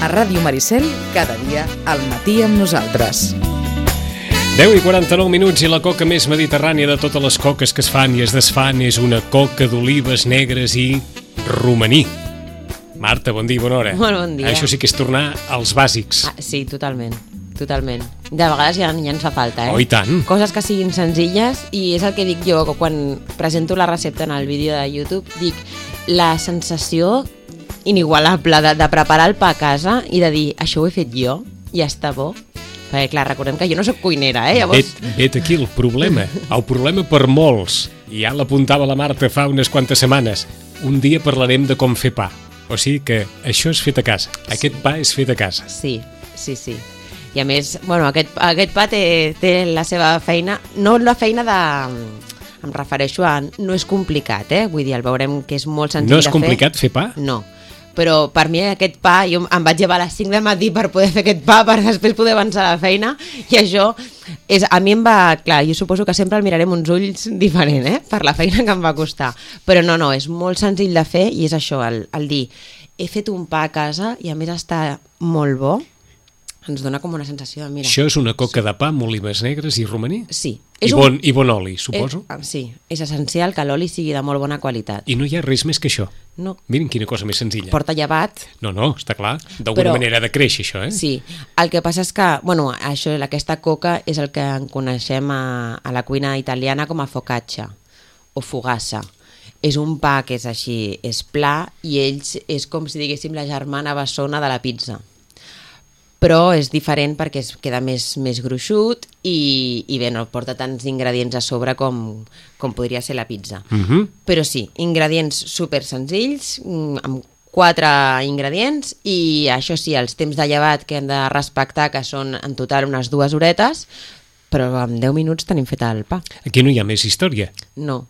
A Ràdio Maricel, cada dia al matí amb nosaltres. 10:49 i la coca més mediterrània de totes les coques que es fan i es desfan és una coca d'olives negres i romaní. Marta, bon dia i bona hora. Molt bon dia. Això sí que és tornar als bàsics. Sí, totalment. De vegades ja ens fa falta, Oh, i tant. Coses que siguin senzilles, i és el que dic jo quan presento la recepta en el vídeo de YouTube. Dic, la sensació inigualable de preparar el pa a casa i de dir, això ho he fet jo i està bo. Perquè, clar, recordem que jo no soc cuinera, llavors... Vet aquí el problema. El problema per molts, i ja l'apuntava la Marta fa unes quantes setmanes, un dia parlarem de com fer pa. O sigui que això és fet a casa. Aquest pa és fet a casa. Sí. I a més, bueno, aquest pa té la seva feina, no la feina de... Em refereixo a... No és complicat, Vull dir, el veurem que és molt senzill de fer. No és complicat fer pa? No. Però per mi aquest pa, jo em vaig llevar a les 5 del matí per poder fer aquest pa, per després poder avançar a la feina, i això a mi em va... Clar, jo suposo que sempre el mirarem uns ulls diferent, per la feina que em va costar. Però no, és molt senzill de fer, i és això, el dir, he fet un pa a casa i a més està molt bo, ens dona com una sensació de, mira... Això és una coca de pa amb olives negres i romaní? Sí. I bon oli, suposo? Sí, és essencial que l'oli sigui de molt bona qualitat. I no hi ha res més que això? No. Miren quina cosa més senzilla. Porta llevat. No, està clar. D'alguna manera ha de créixer, això, Sí. El que passa és que, aquesta coca és el que en coneixem a la cuina italiana com a focaccia o fogassa. És un pa que és així, és pla, i ells és com si diguéssim la germana bessona de la pizza. Però és diferent perquè es queda més gruixut i bé, no porta tants ingredients a sobre com podria ser la pizza. Però sí, ingredients super senzills, amb 4 ingredients, i això sí, els temps de llevat que hem de respectar, que són en total unes 2 horetes, però en 10 minuts tenim fet el pa. Aquí no hi ha més història. No.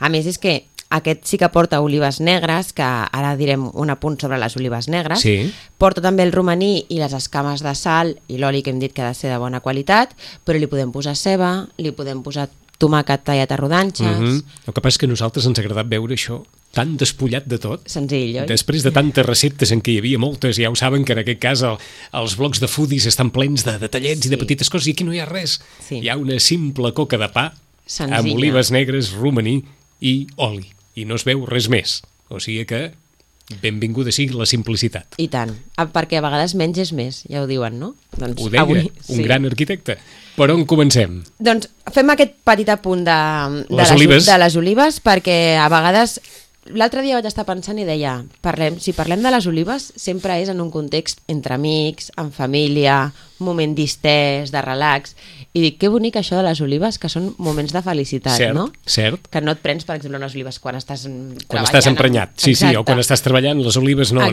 A més és que aquest sí que porta olives negres, que ara direm un apunt sobre les olives negres. Sí. Porta també el romaní i les escames de sal i l'oli, que hem dit que ha de ser de bona qualitat, però li podem posar ceba, li podem posar tomàquet tallat a rodanxes... El que passa és que a nosaltres ens ha agradat veure això tan despullat de tot. Senzill, oi? Després de tantes receptes en què hi havia moltes, ja ho saben que en aquest cas els blocs de foodies estan plens de detallets i de petites coses, i aquí no hi ha res. Sí. Hi ha una simple coca de pa senzilla, amb olives negres, romaní i oli. I no es veu res més. O sigui que benvinguda sigui la simplicitat. I tant, perquè a vegades menys és més, ja ho diuen, no? Doncs ho deia un gran arquitecte. Per on comencem? Doncs fem aquest petit apunt de les olives, perquè a vegades... L'altre dia vaig estar pensant i deia, si parlem de les olives, sempre és en un context entre amics, en família, un moment distès, de relax, i dic, que bonic això de les olives, que són moments de felicitat, no? Cert. Que no et prens, per exemple, unes olives quan estàs treballant. Quan estàs emprenyat, sí, o quan estàs treballant, les olives no.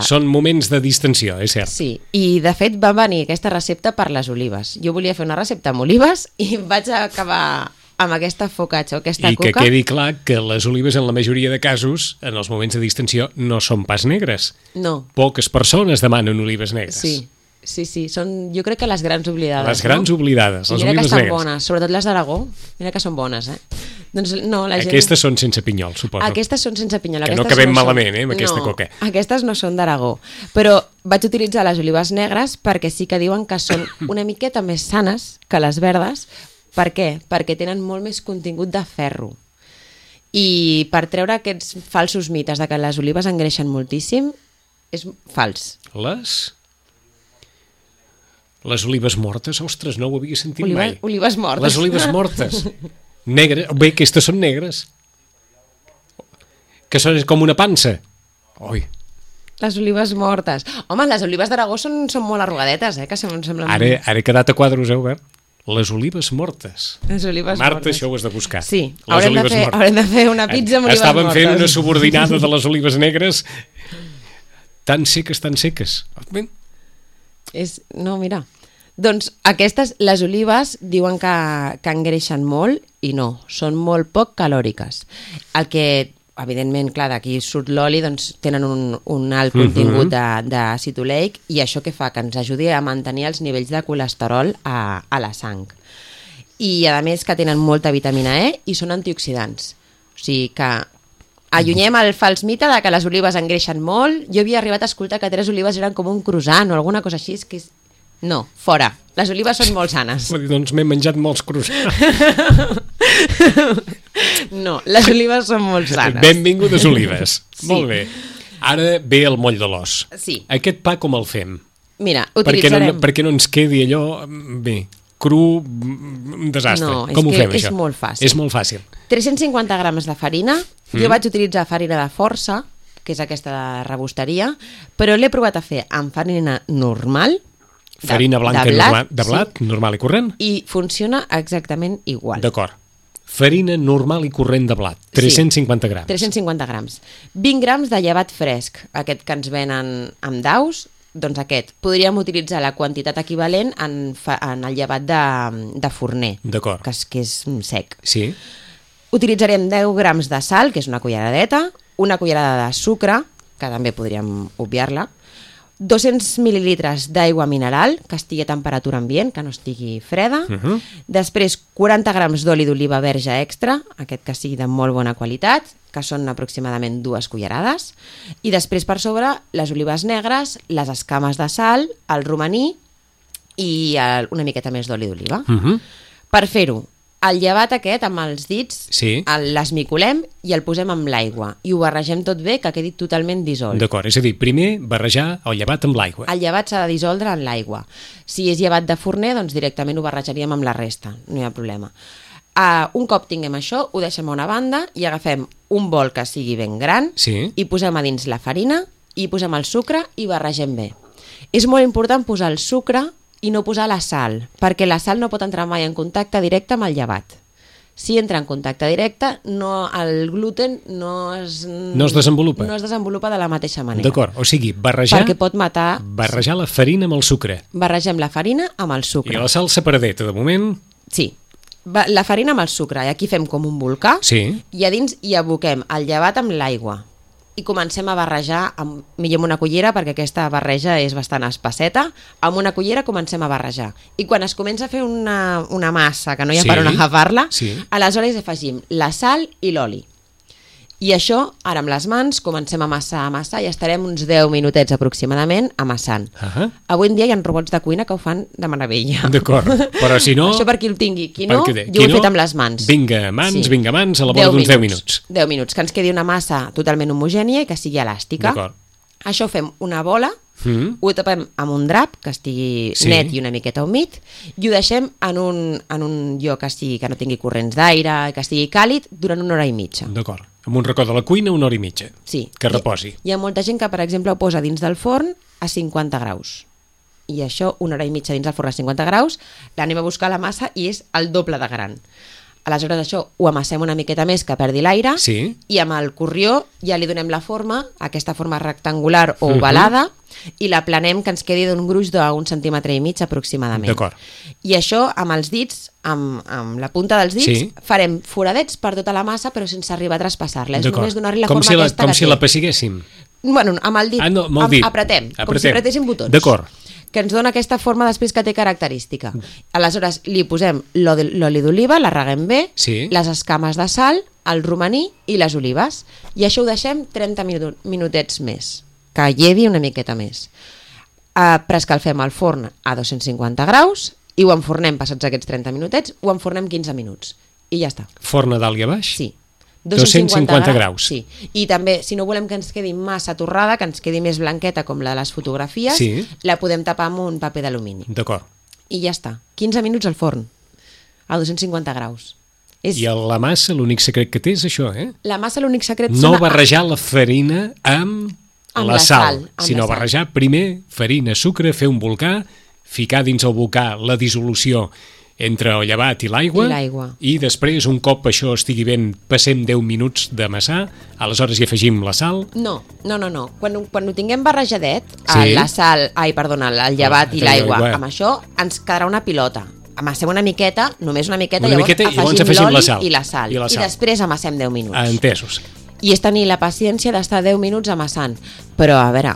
Són moments de distensió, és cert. Sí, i de fet va venir aquesta recepta per les olives. Jo volia fer una recepta amb olives i vaig acabar amb aquesta focaccia o aquesta coca. I que quedi clar que les olives, en la majoria de casos, en els moments de distensió, no són pas negres. No. Poques persones demanen olives negres. Sí, són, jo crec que les grans oblidades. Les grans oblidades, les olives negres. Mira que estan bones, sobretot les d'Aragó, mira que són bones, Doncs no, la gent... Aquestes són sense pinyol, suposo. Aquestes són sense pinyol. Que no acabem malament, amb aquesta coca. Aquestes no són d'Aragó, però vaig utilitzar les olives negres perquè sí que diuen que són una miqueta més sanes que les verdes. Per què? Perquè tenen molt més contingut de ferro. I per treure aquests falsos mites de que les olives engreixen moltíssim, és fals. Les olives mortes? Ostres, no ho havia sentit mai. Olives mortes. Les olives mortes. Negres. Bé, aquestes són negres. Que són com una pansa. Oi. Les olives mortes. Home, les olives d'Aragó són molt arrugadetes, que semblen... Ara he quedat a quadros, Albert? Les olives mortes. Les olives Marta, mortes. això ho has de buscar. Sí, haurem de fer una pizza amb olives mortes. Estàvem fent una subordinada de les olives negres tan seques. No, mira. Doncs aquestes, les olives, diuen que engreixen molt i no, són molt poc calòriques. El que evidentment, clar, d'aquí surt l'oli, doncs tenen un alt contingut d'àcid oleic, i això què fa? Que ens ajudi a mantenir els nivells de colesterol a la sang. I a més que tenen molta vitamina E i són antioxidants. O sigui que Allunyem el fals mite de que les olives engreixen molt. Jo havia arribat a escoltar que 3 olives eren com un croissant o alguna cosa així. Que és... No, fora. Les olives són molt sanes. Doncs m'he menjat molts croissants. No, les olives són molt sanes. Benvingudes olives. Sí. Molt bé. Ara ve el moll de l'os. Sí. Aquest pa com el fem? Mira, utilitzarem... Perquè no ens quedi allò... Bé, cru, un desastre. No, com ho fem, és això? molt fàcil. És molt fàcil. 350 grams de farina. Jo vaig utilitzar farina de força, que és aquesta de rebosteria, però l'he provat a fer amb farina normal, Farina blanca de blat, de blat, normal i corrent? i funciona exactament igual. D'acord. Farina normal i corrent de blat, 350 grams. 350 grams. 20 grams de llevat fresc, aquest que ens venen amb daus, doncs aquest. Podríem utilitzar la quantitat equivalent en el llevat de forner, D'acord. que és sec. Sí. Utilitzarem 10 grams de sal, que és una culleradeta, una cullerada de sucre, que també podríem obviar-la, 200 mil·lilitres d'aigua mineral, que estigui a temperatura ambient, que no estigui freda, després 40 grams d'oli d'oliva verge extra, aquest que sigui de molt bona qualitat, que són aproximadament 2 cullerades, i després per sobre les olives negres, les escames de sal, el romaní i una miqueta més d'oli d'oliva. Per fer-ho, el llevat aquest amb els dits l'esmicolem i el posem amb l'aigua i ho barregem tot bé, que quedi totalment dissolt. D'acord, és a dir, primer barrejar el llevat amb l'aigua. El llevat s'ha de dissoldre en l'aigua. Si és llevat de forner, doncs directament ho barrejaríem amb la resta, no hi ha problema. Un cop tinguem això, ho deixem a una banda i agafem un bol que sigui ben gran i posem a dins la farina i posem el sucre i barregem bé. És molt important posar el sucre i no posar la sal, perquè la sal no pot entrar mai en contacte directe amb el llevat. Si entra en contacte directe, el gluten no es desenvolupa de la mateixa manera. D'acord, o sigui, barrejar la farina amb el sucre. Barregem la farina amb el sucre. I la sal separadeta, de moment? Sí, la farina amb el sucre, i aquí fem com un volcà, i a dins hi aboquem el llevat amb l'aigua. I comencem a barrejar, millor amb una cullera, perquè aquesta barreja és bastant espesseta, amb una cullera comencem a barrejar. I quan es comença a fer una massa, que no hi ha per on agafar-la, aleshores afegim la sal i l'oli. I això, ara amb les mans, comencem a amassar i estarem uns 10 minutets aproximadament amassant. Avui en dia hi ha robots de cuina que ho fan de meravella. D'acord, però si no... Això per qui el tingui. Qui no, jo ho he fet amb les mans. Vinga, mans, a la vora d'uns 10 minuts. 10 minuts, que ens quedi una massa totalment homogènia i que sigui elàstica. D'acord. Això fem una bola, ho tapem amb un drap que estigui net i una miqueta humit i ho deixem en un lloc que no tingui corrents d'aire, que estigui càlid durant 1 hora i mitja. D'acord. Amb un racó de la cuina 1 hora i mitja. Sí. Que reposi. Hi ha molta gent que, per exemple, ho posa dins del forn a 50 graus. I això, 1 hora i mitja dins del forn a 50 graus, l'anem a buscar a la massa i és el doble de gran. Aleshores això ho amassem una miqueta més que perdi l'aire i amb el corrió ja li donem la forma, aquesta forma rectangular o ovalada, i la planem que ens quedi d'un gruix d'1,5 centímetres aproximadament. D'acord. I això amb els dits, amb la punta dels dits, farem foradets per tota la massa però sense arribar a traspassar-la. És només donar-li la forma aquesta que té. Com si la pessiguéssim. Bueno, amb el dit, apretem, com si apretéssim botons. D'acord. Que ens dona aquesta forma després que té característica. Aleshores li posem l'oli d'oliva, la reguem bé, les escames de sal, el romaní i les olives. I això ho deixem 30 minutets més, que llevi una miqueta més. Preescalfem el forn a 250 graus i ho enfornem passats aquests 30 minutets, ho enfornem 15 minuts. I ja està. Forn a dalt i a baix? Sí. 250 graus. Sí. I també, si no volem que ens quedi massa torrada, que ens quedi més blanqueta com la de les fotografies, la podem tapar amb un paper d'alumini. D'acord. I ja està. 15 minuts al forn, a 250 graus. I la massa, l'únic secret que té és això, eh? La massa, l'únic secret... No barrejar la farina amb la sal, sinó barrejar primer farina, sucre, fer un volcà, ficar dins el volcà la dissolució entre el llevat i l'aigua, i després, un cop això estigui ben, passem 10 minuts d'amassar, aleshores hi afegim la sal. No. Quan ho tinguem barrejadet, la sal, el llevat i l'aigua, amb això ens quedarà una pilota. Amassem una miqueta, només una miqueta, llavors afegim l'oli i la sal. I després amassem 10 minuts. Entesos. I és tenir la paciència d'estar 10 minuts amassant. Però, a veure,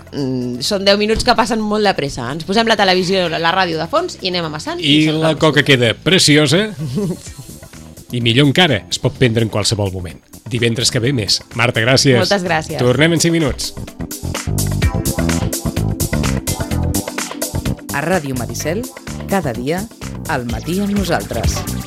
són 10 minuts que passen molt de pressa. Ens posem la televisió, la ràdio de fons i anem amassant. I la coca queda preciosa i millor encara, es pot prendre en qualsevol moment. divendres que ve més. Marta, gràcies. Moltes gràcies. Tornem en 5 minuts. A Ràdio Maricel, cada dia, al matí amb nosaltres.